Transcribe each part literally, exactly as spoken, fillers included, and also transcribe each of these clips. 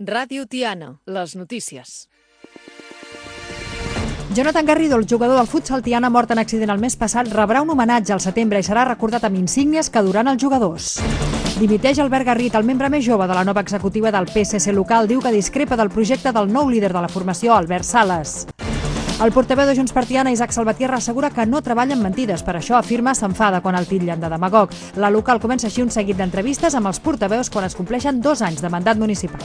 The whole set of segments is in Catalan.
Ràdio Tiana, les notícies. Jonathan Garrido, el jugador del futsal Tiana mort en accident el mes passat, rebrà un homenatge al setembre i serà recordat amb insígnies que duran els jugadors. Dimiteix Albert Garrit, el membre més jove de la nova executiva del P S C local, diu que discrepa del projecte del nou líder de la formació, Albert Sales. El portaveu de Junts per Tiana, Isaac Salvatierra, assegura que no treballa amb mentides. Per això afirma s'enfada quan el titllen de demagog. La local comença així un seguit d'entrevistes amb els portaveus quan es compleixen dos anys de mandat municipal.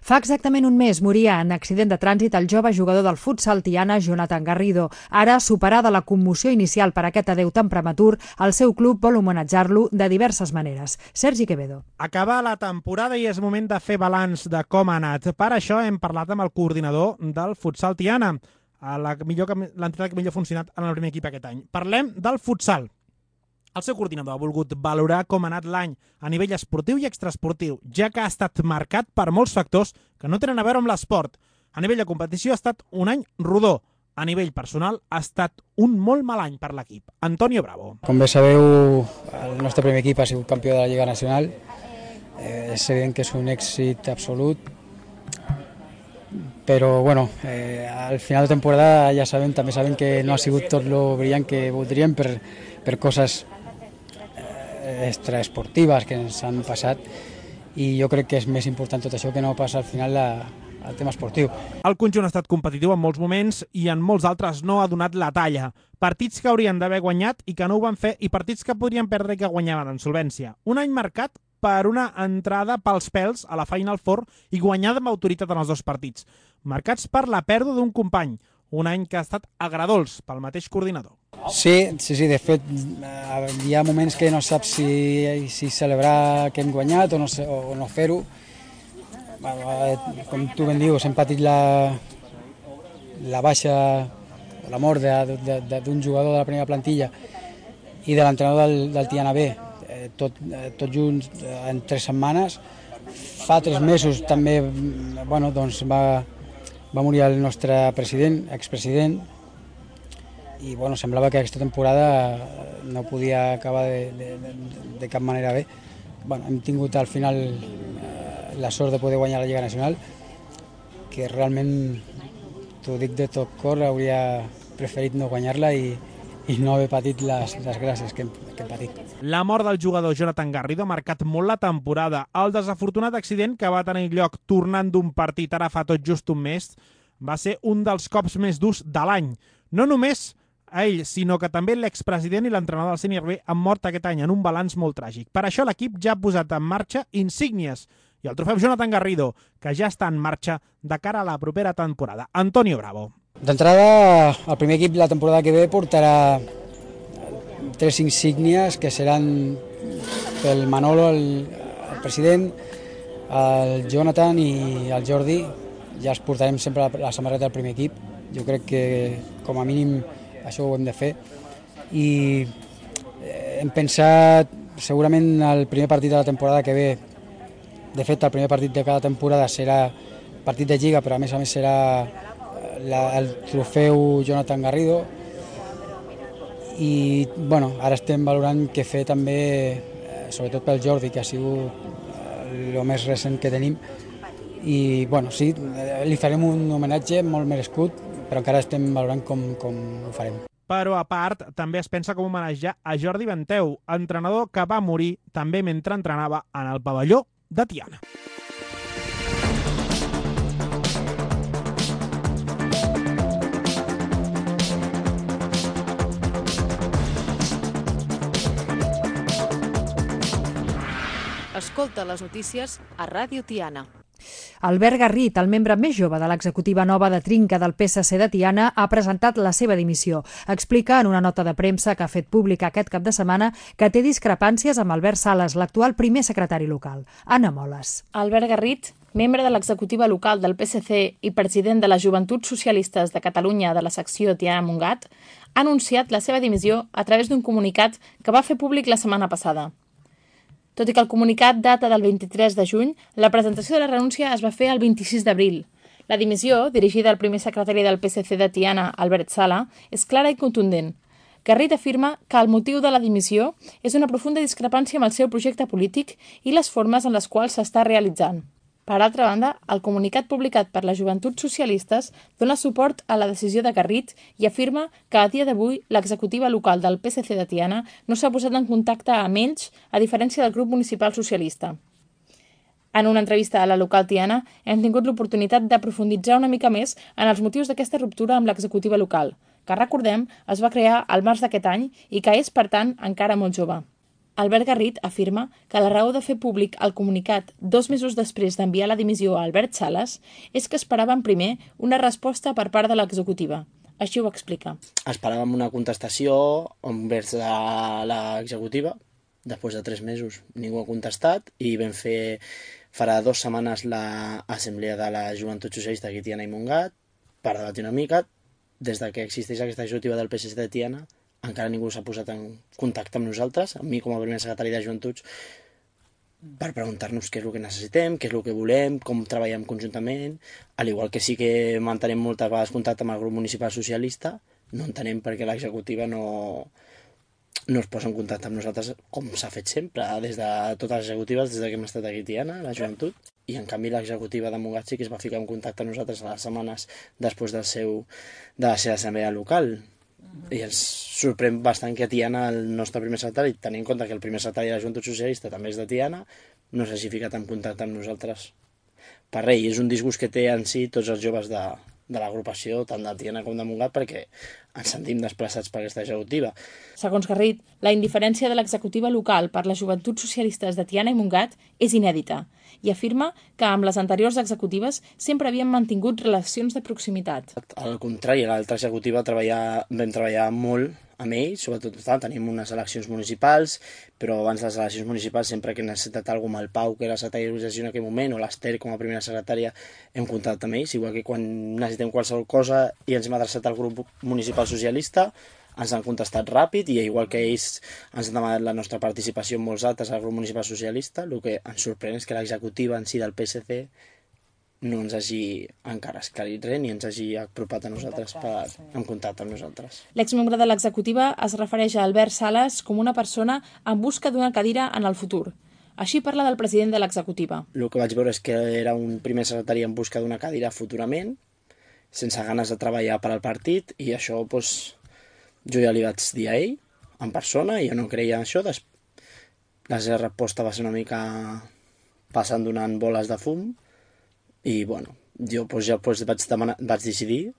Fa exactament un mes moria en accident de trànsit el jove jugador del futsal Tiana, Jonathan Garrido. Ara, superada la commoció inicial per aquest adeu tan prematur, el seu club vol homenatjar-lo de diverses maneres. Sergi Quevedo. Acaba la temporada i és moment de fer balanç de com ha anat. Per això hem parlat amb el coordinador del futsal Tiana, l'entitat que millor ha funcionat en el primer equip aquest any. Parlem del futsal. El seu coordinador ha volgut valorar com ha anat l'any a nivell esportiu i extraesportiu, ja que ha estat marcat per molts factors que no tenen a veure amb l'esport. A nivell de competició ha estat un any rodó. A nivell personal ha estat un molt mal any per l'equip. Antonio Bravo. Com bé sabeu, el nostre primer equip ha sigut campió de la Lliga Nacional. Eh, és evident que és un èxit absolut, però bueno, eh, al final de temporada ja sabem, també sabem que no ha sigut tot lo brillant que voldríem per, per coses extraesportives que ens han passat, i jo crec que és més important tot això que no passa al final la, el tema esportiu. El conjunt ha estat competitiu en molts moments i en molts altres no ha donat la talla. Partits que haurien d'haver guanyat i que no ho van fer, i partits que podrien perdre i que guanyaven en solvència. Un any marcat per una entrada pels pèls a la Final Four i guanyada amb autoritat en els dos partits, marcats per la pèrdua d'un company. Un any que ha estat agredolç pel mateix coordinador. Sí, sí, sí, de fet, hi ha moments que no saps si, si celebrar que hem guanyat o no, o no fer-ho. Com tu ben dius, hem patit la, la baixa, la mort d'un jugador de la primera plantilla i de l'entrenador del, del Tiana B, tot, tot junts en tres setmanes. Fa tres mesos també bueno, doncs va... Va morir el nostre president, expresident, i bueno, semblava que aquesta temporada no podia acabar de, de, de cap manera bé. Bueno, hem tingut al final eh, la sort de poder guanyar la Lliga Nacional, que realment, t'ho dic de tot cor, hauria preferit no guanyar-la i, i no haver patit les, les gràcies que hem, que hem patit. La mort del jugador Jonathan Garrido ha marcat molt la temporada. El desafortunat accident que va tenir lloc tornant d'un partit ara fa tot just un mes va ser un dels cops més durs de l'any. No només a ell, sinó que també l'expresident i l'entrenador del Sènior B han mort aquest any en un balanç molt tràgic. Per això l'equip ja ha posat en marxa insígnies i el trofeu Jonathan Garrido, que ja està en marxa de cara a la propera temporada. Antonio Bravo. D'entrada, el primer equip la temporada que ve portarà tres insígnies que seran pel Manolo, el, el president, el Jonathan i el Jordi. Ja els portarem sempre la, la samarreta del primer equip. Jo crec que com a mínim això ho hem de fer. I hem pensat segurament el primer partit de la temporada que ve, de fet el primer partit de cada temporada serà partit de Lliga, però a més a més serà la, el trofeu Jonathan Garrido. I bueno, ara estem valorant què fer també, sobretot pel Jordi, que ha sigut el més recent que tenim. I bueno, sí, li farem un homenatge molt merescut, però encara estem valorant com, com ho farem. Però a part, també es pensa com homenatjar a Jordi Benteu, entrenador que va morir també mentre entrenava en el pavelló de Tiana. Escolta les notícies a Ràdio Tiana. Albert Garrit, el membre més jove de l'executiva nova de Trinca del P S C de Tiana, ha presentat la seva dimissió. Explica en una nota de premsa que ha fet pública aquest cap de setmana que té discrepàncies amb Albert Sales, l'actual primer secretari local. Anna Moles. Albert Garrit, membre de l'executiva local del P S C i president de les Joventuts Socialistes de Catalunya de la secció Tiana-Montgat, ha anunciat la seva dimissió a través d'un comunicat que va fer públic la setmana passada. Tot i que el comunicat data del vint-i-tres de juny, la presentació de la renúncia es va fer el vint-i-sis d'abril. La dimissió, dirigida al primer secretari del P S C de Tiana, Albert Sala, és clara i contundent. Garrit afirma que el motiu de la dimissió és una profunda discrepància amb el seu projecte polític i les formes en les quals s'està realitzant. Per altra banda, el comunicat publicat per les Joventuts Socialistes dona suport a la decisió de Garrit i afirma que a dia d'avui l'executiva local del P S C de Tiana no s'ha posat en contacte amb ells, a diferència del grup municipal socialista. En una entrevista a la local Tiana hem tingut l'oportunitat de profunditzar una mica més en els motius d'aquesta ruptura amb l'executiva local, que, recordem, es va crear al març d'aquest any i que és, per tant, encara molt jove. Albert Garrit afirma que la raó de fer públic el comunicat dos mesos després d'enviar la dimissió a Albert Sales és que esperaven primer una resposta per part de l'executiva. Així ho explica. Esperàvem una contestació envers l'executiva. Després de tres mesos ningú ha contestat i vam fer farà dues setmanes l'assemblea de la Joventut Socialista aquí a Tiana i Montgat per debatir una mica. Des que existeix aquesta executiva del P S C de Tiana encara ningú s'ha posat en contacte amb nosaltres, amb mi com a primer secretari de Joventuts, per preguntar-nos què és el que necessitem, què és el que volem, com treballem conjuntament, al igual que sí que mantenem moltes vegades contacte amb el grup municipal socialista, no entenem per què l'executiva no, no es posa en contacte amb nosaltres com s'ha fet sempre, des de totes les executives, des que hem estat aquí a Tiana, la Joventut, i en canvi l'executiva de Montgat sí que es va ficar en contacte amb nosaltres a les setmanes després del seu, de la seva assemblea local. I ens sorprèn bastant que a Tiana el nostre primer secretari, tenint en compte que el primer secretari de la Joventut Socialista també és de Tiana, no s'hagi ficat en contacte amb nosaltres per res. I és un disgust que té en si tots els joves de, de l'agrupació, tant de Tiana com de Montgat, perquè ens sentim desplaçats per aquesta executiva. Segons Garrit, la indiferència de l'executiva local per les Joventuts Socialistes de Tiana i Montgat és inèdita i afirma que amb les anteriors executives sempre havien mantingut relacions de proximitat. Al contrari, l'altra executiva treballar, vam treballar molt amb ells, sobretot tenim unes eleccions municipals, però abans de les eleccions municipals sempre que he necessitat alguna cosa, el Pau, que era secretari d'organització en aquell moment, o l'Ester com a primera secretària, hem contactat amb ells, igual que quan necessitem qualsevol cosa i ens hem adreçat al grup municipal socialista, ens han contestat ràpid i igual que ells ens han demanat la nostra participació en molts actes al grup municipal socialista, el que ens sorprèn és que l'executiva en si del P S C no ens hagi encara esclarit res ni ens hagi apropat a nosaltres per, en contacte amb nosaltres. L'exmembre de l'executiva es refereix a Albert Sales com una persona en busca d'una cadira en el futur. Així parla del president de l'executiva. El que vaig veure és que era un primer secretari en busca d'una cadira futurament, sense ganes de treballar per al partit, i això doncs, jo ja li vaig dir a ell, en persona, i jo no creia en això. La seva resposta va ser una mica passant donant boles de fum, i bueno, jo doncs, ja doncs, vaig, demanar, vaig decidir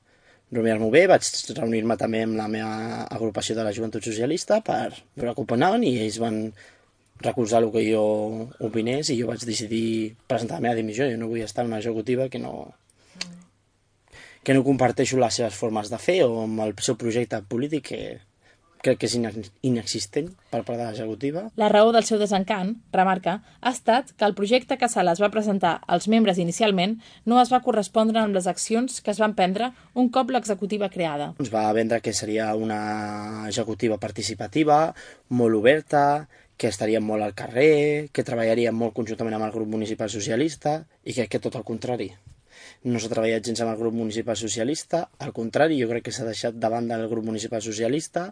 reunir-m'ho bé, vaig reunir-me també amb la meva agrupació de la Joventut Socialista per veure com opinaven, i ells van recolzar el que jo opinés, i jo vaig decidir presentar la meva dimissió. Jo no vull estar en una executiva que no, que no comparteixo les seves formes de fer o amb el seu projecte polític, que crec que és inexistent per part de l'executiva. La raó del seu desencant, remarca, ha estat que el projecte que Sales va presentar als membres inicialment no es va correspondre amb les accions que es van prendre un cop l'executiva creada. Ens va vendre que seria una executiva participativa, molt oberta, que estaríem molt al carrer, que treballaríem molt conjuntament amb el grup municipal socialista, i crec que tot el contrari. No s'ha treballat gens amb el grup municipal socialista, al contrari, jo crec que s'ha deixat de banda el grup municipal socialista.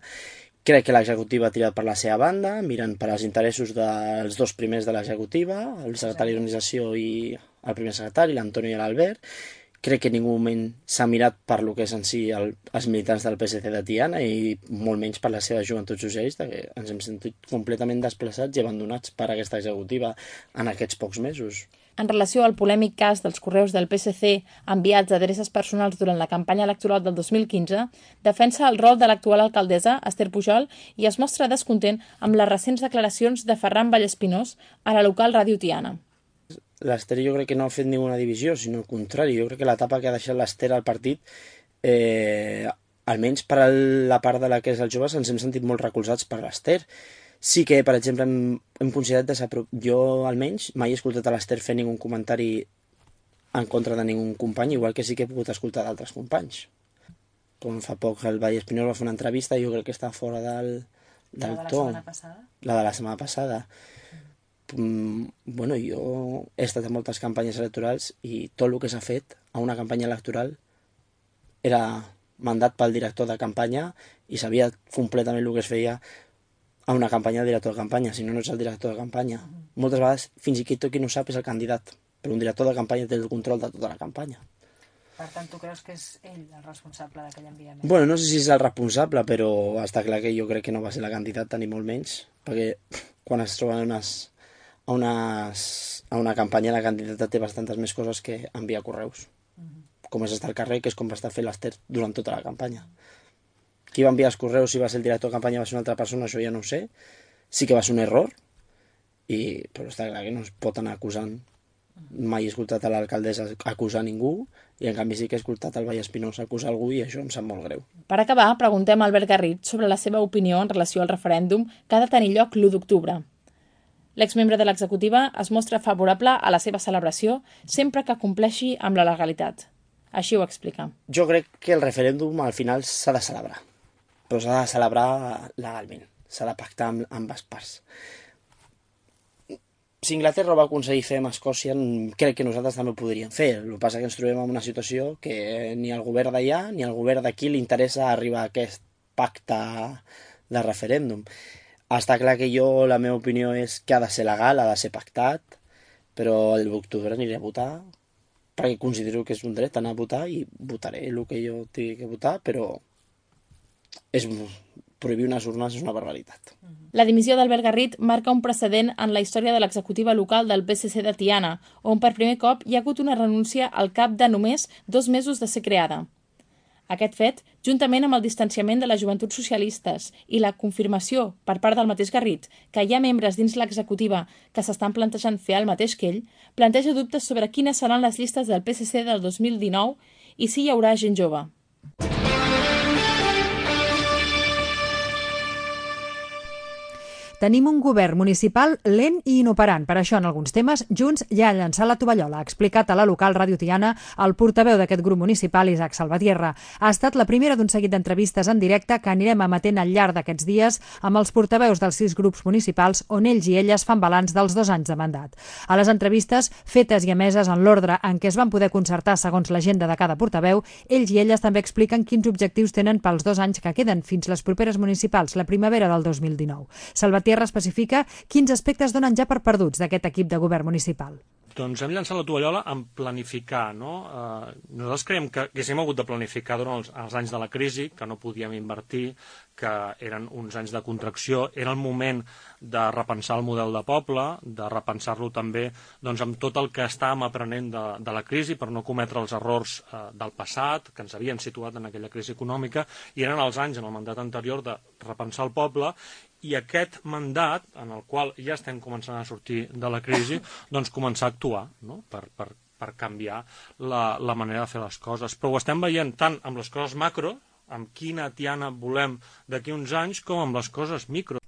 Crec que l'executiva ha tirat per la seva banda, mirant per als interessos dels dos primers de l'executiva, el secretari d'organització i el primer secretari, l'Antonio i l'Albert. Crec que en ningú moment s'ha mirat per lo que és en si el, els militants del P S C de Tiana, i molt menys per la seva Joventut Socialista, que ens hem sentit completament desplaçats i abandonats per aquesta executiva en aquests pocs mesos. En relació al polèmic cas dels correus del P S C enviats a adreces personals durant la campanya electoral del dos mil quinze, defensa el rol de l'actual alcaldessa, Esther Pujol, i es mostra descontent amb les recents declaracions de Ferran Vallespinós a la local Ràdio Tiana. L'Esther jo crec que no ha fet ninguna divisió, sinó al contrari. Jo crec que l'etapa que ha deixat l'Esther al partit, eh, almenys per la part de la que és els joves, ens hem sentit molt recolzats per l'Esther. Sí que, per exemple, hem, hem considerat desaprop... Jo, almenys, mai he escoltat a l'Esther fer ningú comentari en contra de ningú company, igual que sí que he pogut escoltar d'altres companys. Com fa poc el Vallespinós va fer una entrevista, jo crec que està fora del, del la de to. La setmana passada? La de la setmana passada. Mm, bueno, jo he estat en moltes campanyes electorals i tot el que s'ha fet a una campanya electoral era mandat pel director de campanya i sabia completament el que es feia a una campanya de director de campanya, si no, no ets el director de campanya. Moltes vegades, fins i tot qui no sap és el candidat, però un director de campanya té el control de tota la campanya. Per tant, tu creus que és ell el responsable d'aquell enviament? Bueno, no sé si és el responsable, però està clar que jo crec que no va ser la candidata, ni molt menys, perquè quan es troben unes, a, unes, a una campanya la candidata té bastantes més coses que enviar correus. Uh-huh. Com és estar al carrer, que és com va estar fent l'Ester durant tota la campanya. Qui va enviar els correus, si va ser el director de campanya, va ser una altra persona, això ja no ho sé. Sí que va ser un error, i, però està clar que no es pot anar acusant. Mai he escoltat a l'alcaldessa acusar ningú, i en canvi sí que he escoltat el Vall Espinós acusar algú, i això em sap molt greu. Per acabar, preguntem a Albert Garrit sobre la seva opinió en relació al referèndum que ha de tenir lloc l'u d'octubre. L'exmembre de l'executiva es mostra favorable a la seva celebració sempre que compleixi amb la legalitat. Així ho explica. Jo crec que el referèndum al final s'ha de celebrar, però s'ha de celebrar legalment, s'ha de pactar amb ambes parts. Si Inglaterra va aconseguir fer amb Escòcia, crec que nosaltres també ho podríem fer. El que passa és que ens trobem en una situació que ni al govern d'allà ni al govern d'aquí li interessa arribar a aquest pacte de referèndum. Està clar que jo, la meva opinió és que ha de ser legal, ha de ser pactat, però el d'octubre aniré a votar perquè considero que és un dret anar a votar i votaré el que jo tingui que votar, però és prohibir unes urnes és una barbaritat. La dimissió d'Albert Garrit marca un precedent en la història de l'executiva local del P S C de Tiana, on per primer cop hi ha hagut una renúncia al cap de només dos mesos de ser creada. Aquest fet, juntament amb el distanciament de les joventuts socialistes i la confirmació per part del mateix Garrit que hi ha membres dins l'executiva que s'estan plantejant fer el mateix que ell, planteja dubtes sobre quines seran les llistes del P S C del dos mil dinou i si hi haurà gent jove. Tenim un govern municipal lent i inoperant. Per això, en alguns temes, Junts ja ha llançat la tovallola. Ha explicat a la local Ràdio Tiana el portaveu d'aquest grup municipal, Isaac Salvatierra. Ha estat la primera d'un seguit d'entrevistes en directe que anirem emetent al llarg d'aquests dies amb els portaveus dels sis grups municipals on ells i elles fan balanç dels dos anys de mandat. A les entrevistes, fetes i emeses en l'ordre en què es van poder concertar segons l'agenda de cada portaveu, ells i elles també expliquen quins objectius tenen pels dos anys que queden fins les properes municipals, la primavera del dos mil dinou. Salvatierra Tierra especifica quins aspectes donen ja per perduts d'aquest equip de govern municipal. Doncs hem llançat la tovallola en planificar, no? Eh, nosaltres creiem que haguéssim hagut de planificar durant els, els anys de la crisi, que no podíem invertir, que eren uns anys de contracció, era el moment de repensar el model de poble, de repensar-lo també doncs, amb tot el que estàvem aprenent de, de la crisi per no cometre els errors eh, del passat, que ens havien situat en aquella crisi econòmica, i eren els anys en el mandat anterior de repensar el poble, i aquest mandat, en el qual ja estem començant a sortir de la crisi, doncs començar a actuar, no? per, per, per canviar la, la manera de fer les coses. Però ho estem veient tant amb les coses macro, amb quina Tiana volem d'aquí uns anys, com amb les coses micro.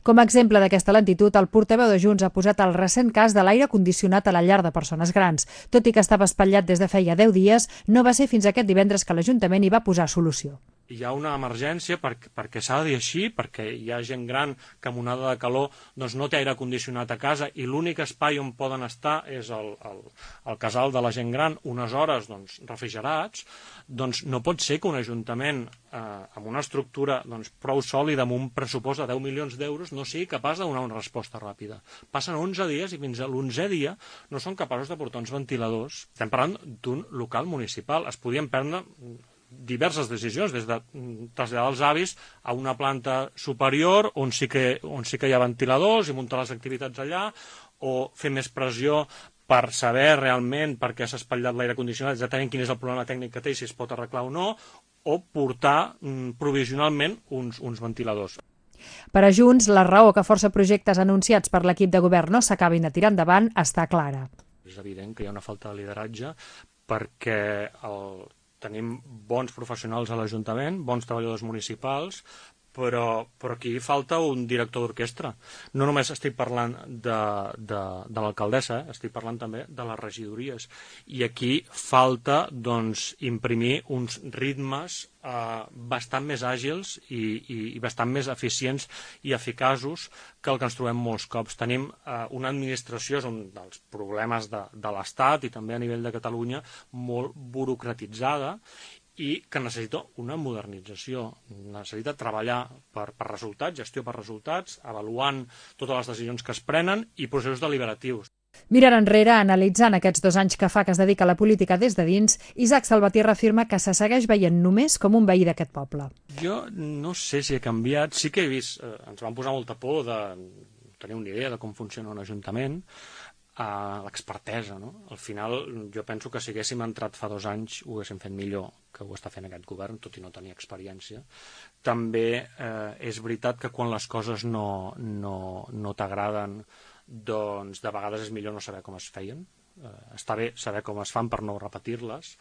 Com a exemple d'aquesta lentitud, el portaveu de Junts ha posat el recent cas de l'aire condicionat a la llar de persones grans. Tot i que estava espatllat des de feia deu dies, no va ser fins aquest divendres que l'Ajuntament hi va posar solució. Hi ha una emergència perquè, perquè s'ha de dir així, perquè hi ha gent gran que amb onada de calor doncs, no té aire condicionat a casa i l'únic espai on poden estar és el, el, el casal de la gent gran unes hores doncs, refrigerats, doncs no pot ser que un ajuntament eh, amb una estructura doncs, prou sòlida, amb un pressupost de deu milions d'euros, no sigui capaç de donar una resposta ràpida. Passen onze dies i fins a l'onzè dia no són capaços de portar uns ventiladors. Estem parlant d'un local municipal. Es podien prendre diverses decisions, des de traslladar els avis a una planta superior on sí que, on sí que hi ha ventiladors i muntar les activitats allà, o fer més pressió per saber realment per què s'ha espatllat l'aire condicionat, exactament quin és el problema tècnic que té i si es pot arreglar o no, o portar mm, provisionalment uns, uns ventiladors. Per a Junts, la raó que força projectes anunciats per l'equip de govern no s'acabin de tirar endavant està clara. És evident que hi ha una falta de lideratge perquè el tenim bons professionals a l'Ajuntament, bons treballadors municipals, però, però aquí falta un director d'orquestra. No només estic parlant de, de, de l'alcaldessa, eh? Estic parlant també de les regidories. I aquí falta doncs, imprimir uns ritmes eh, bastant més àgils i, i, i bastant més eficients i eficaços que el que ens trobem molts cops. Tenim eh, una administració, és un dels problemes de, de l'Estat i també a nivell de Catalunya, molt burocratitzada i que necessita una modernització, necessita treballar per, per resultats, gestió per resultats, avaluant totes les decisions que es prenen i processos deliberatius. Mirant enrere, analitzant aquests dos anys que fa que es dedica a la política des de dins, Isaac Salvatierra afirma que se segueix veient només com un veí d'aquest poble. Jo no sé si he canviat, sí que he vist, eh, ens van posar molta por de tenir una idea de com funciona un ajuntament, a l'expertesa, no? Al final, jo penso que si haguéssim entrat fa dos anys ho haguéssim fet millor que ho està fent aquest govern, tot i no tenir experiència. També eh, és veritat que quan les coses no, no, no t'agraden, doncs de vegades és millor no saber com es feien. Eh, està bé saber com es fan per no repetir-les,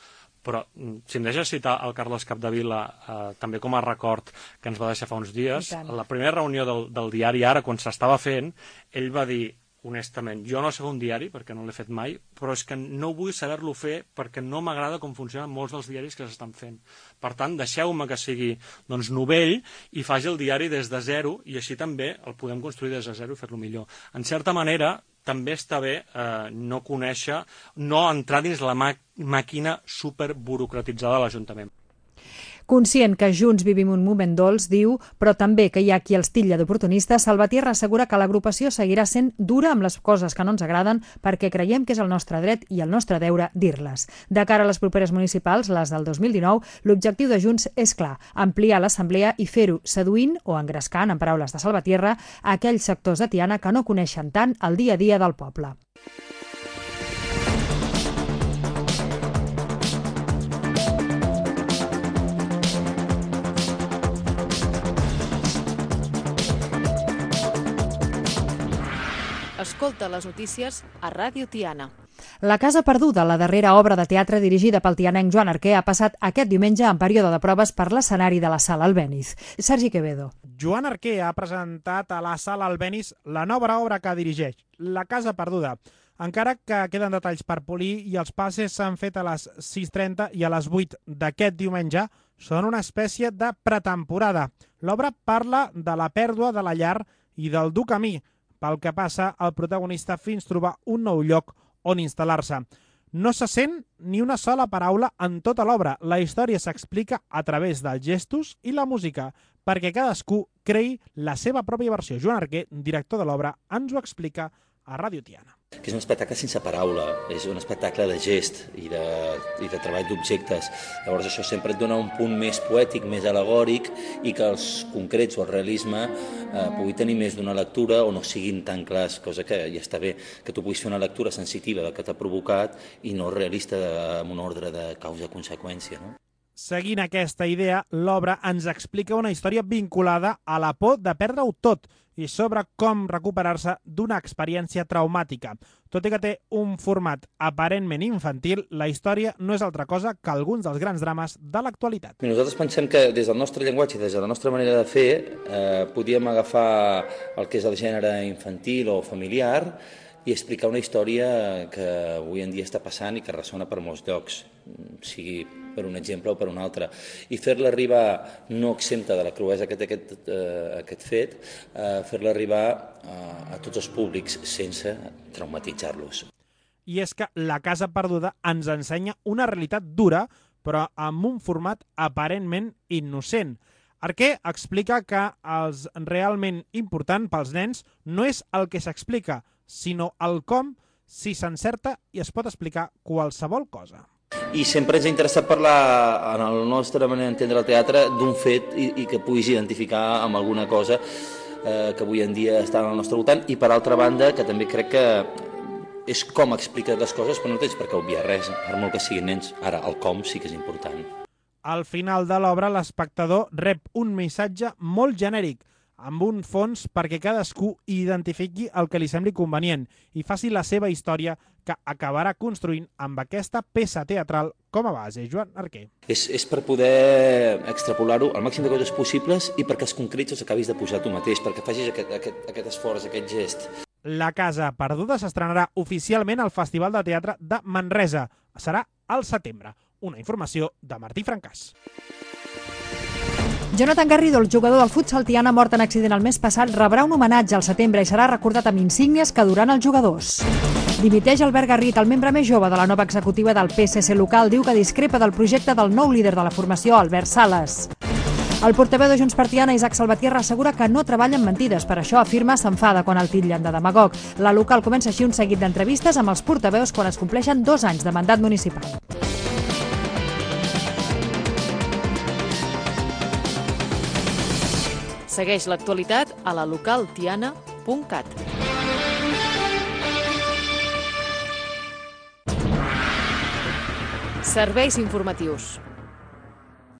però si em deixes citar el Carles Capdevila, eh, també com a record que ens va deixar fa uns dies, a la primera reunió del, del diari Ara, quan s'estava fent, ell va dir, honestament, jo no sé un diari perquè no l'he fet mai, però és que no vull saber-lo fer perquè no m'agrada com funcionen molts dels diaris que s'estan fent. Per tant, deixeu-me que sigui doncs, novell i faci el diari des de zero i així també el podem construir des de zero i fer-lo millor. En certa manera, també està bé eh, no conèixer, no entrar dins la màquina superburocratitzada de l'Ajuntament. Conscient que junts vivim un moment dolç, diu, però també que hi ha qui els titlla d'oportunistes, Salvatierra assegura que l'agrupació seguirà sent dura amb les coses que no ens agraden perquè creiem que és el nostre dret i el nostre deure dir-les. De cara a les properes municipals, les del dos mil dinou, l'objectiu de Junts és clar, ampliar l'assemblea i fer-ho seduint o engrescant, en paraules de Salvatierra, a aquells sectors de Tiana que no coneixen tant el dia a dia del poble. Escolta les notícies a Ràdio Tiana. La Casa Perduda, la darrera obra de teatre dirigida pel tianenc Joan Arquer, ha passat aquest diumenge en període de proves per l'escenari de la Sala Albéniz. Sergi Quevedo. Joan Arquer ha presentat a la Sala Albéniz la nova obra que dirigeix, La Casa Perduda. Encara que queden detalls per polir i els passes s'han fet a les sis trenta i a les vuit d'aquest diumenge, són una espècie de pretemporada. L'obra parla de la pèrdua de la llar i del dur camí pel que passa el protagonista fins trobar un nou lloc on instal·lar-se. No se sent ni una sola paraula en tota l'obra. La història s'explica a través dels gestos i la música, perquè cadascú creï la seva pròpia versió. Joan Arquer, director de l'obra, ens ho explica a Ràdio Tiana. Que és un espectacle sense paraula, és un espectacle de gest i de, i de treball d'objectes. Llavors això sempre et dona un punt més poètic, més alegòric, i que els concrets o el realisme eh, pugui tenir més d'una lectura o no siguin tan clars, cosa que ja està bé, que tu puguis fer una lectura sensitiva del que t'ha provocat i no realista amb un ordre de causa-conseqüència, no? Seguint aquesta idea, l'obra ens explica una història vinculada a la por de perdre-ho tot i sobre com recuperar-se d'una experiència traumàtica. Tot i que té un format aparentment infantil, la història no és altra cosa que alguns dels grans drames de l'actualitat. Nosaltres pensem que des del nostre llenguatge i des de la nostra manera de fer eh, podíem agafar el que és el gènere infantil o familiar i explicar una història que avui en dia està passant i que ressona per molts llocs, sigui per un exemple o per un altre, i fer-la arribar no exempta de la cruesa que té aquest, eh, aquest fet, eh, fer-la arribar a, a tots els públics sense traumatitzar-los. I és que La Casa Perduda ens ensenya una realitat dura, però amb un format aparentment innocent. Arquer explica que el realment important pels nens no és el que s'explica, sinó el com, si s'encerta i es pot explicar qualsevol cosa. I sempre ens ha interessat parlar, en la nostra manera d'entendre el teatre, d'un fet i, i que puguis identificar amb alguna cosa eh, que avui en dia està al nostre voltant, i per altra banda, que també crec que és com expliques les coses, però no tens per què obviar res, per molt que siguin nens. Ara, el com sí que és important. Al final de l'obra, l'espectador rep un missatge molt genèric, amb un fons perquè cadascú identifiqui el que li sembli convenient i faci la seva història que acabarà construint amb aquesta peça teatral com a base. Joan Arquer. És, és per poder extrapolar-ho al màxim de coses possibles i perquè els concrets els acabis de posar tu mateix, perquè facis aquest, aquest, aquest esforç, aquest gest. La Casa Perduda s'estrenarà oficialment al Festival de Teatre de Manresa. Serà al setembre. Una informació de Martí Francàs. Jonathan Garrido, el jugador del futsal Tiana mort en accident el mes passat, rebrà un homenatge al setembre i serà recordat amb insígnies que duran els jugadors. Dimiteix Albert Garrit, el membre més jove de la nova executiva del P S C local, diu que discrepa del projecte del nou líder de la formació, Albert Sales. El portaveu de Junts per Tiana, Isaac Salvatierra, assegura que no treballa amb mentides, per això afirma s'enfada quan el titllen de demagog. La local comença així un seguit d'entrevistes amb els portaveus quan es compleixen dos anys de mandat municipal. Segueix l'actualitat a la local tiana punt cat. Serveis informatius.